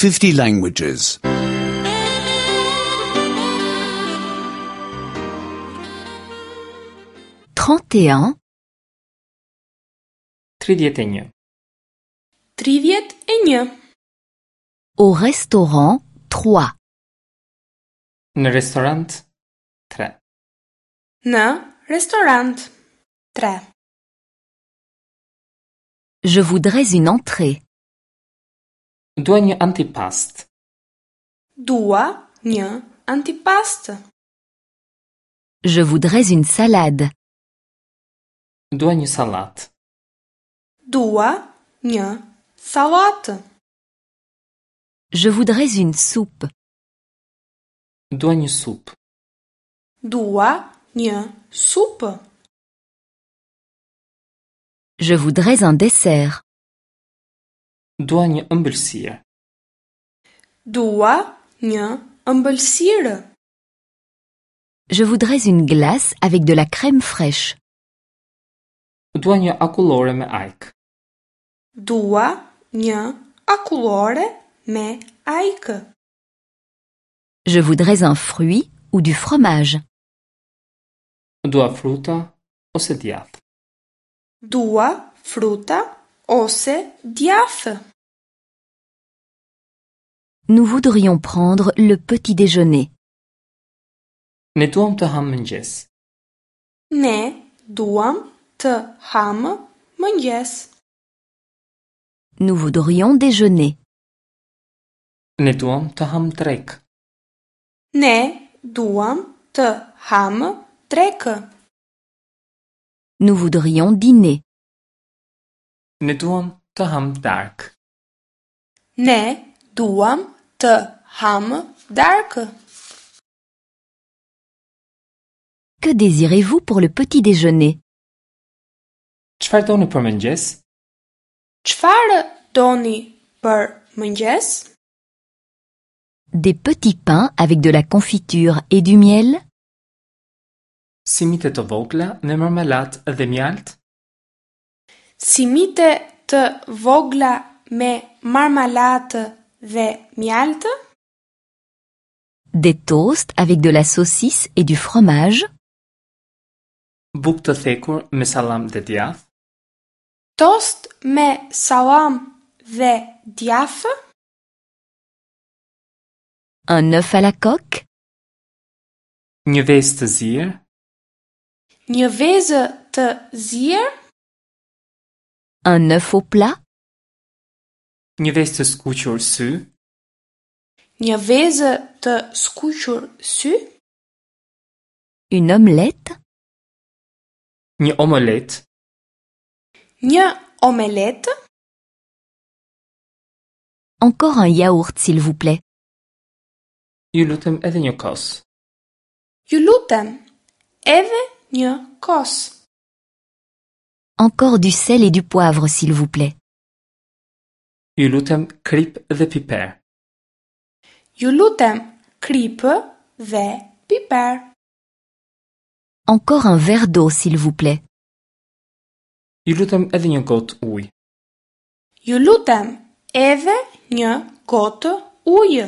50 languages. 31, 31. 31. au restaurant 3. Në restorant 3. Në restorant 3. Je voudrais une entrée. Dua një antipast. Dua një antipast. Je voudrais une salade. Dua një sallatë. Dua një sallatë. Je voudrais une soupe. Dua një supë. Dua një supë. Je voudrais un dessert. Dua një ëmbëlsirë. Dua një ëmbëlsirë. Je voudrais une glace avec de la crème fraîche. Dua një akullore me ajkë. Dua një akullore me ajkë. Je voudrais un fruit ou du fromage. Dua fruta ose djathë. Dua fruta ose djathë. Nous voudrions prendre le petit déjeuner. Ne duam të hamë mëngjes. Ne duam të hamë mëngjes. Nous voudrions déjeuner. Ne duam të hamë drekë. Ne duam të hamë drekë. Nous voudrions dîner. Ne duam të hamë darkë. Ne duam të hamë darkë. Que désirez-vous pour le petit déjeuner Çfarë doni për mëngjes? Çfarë doni për mëngjes? Des petits pains avec de la confiture et du miel Simite të vogla me marmelat dhe mjaltë? Simite të vogla me marmalatë dhe mjaltë? Des toasts avec de la saucisse et du fromage Bukë të thekur me sallam dhe djathë? Tost me sallam dhe djathë? Un œuf à la coque Një vezë të zier? Një vezë të zier? Un œuf au plat Një vezë të skuqur sy? Një vezë të skuqur sy? Une omelette Një omelet? Një omeletë? Encore un yaourt s'il vous plaît. Ju lutem edhe një kos. Ju lutem, edhe një kos. Encore du sel et du poivre s'il vous plaît. Ju lutem krip dhe piper. Ju lutem, kripë dhe piper. Encore un verre d'eau s'il vous plaît. Ju lutem edhe një gotë ujë. Ju lutem, edhe një gotë ujë.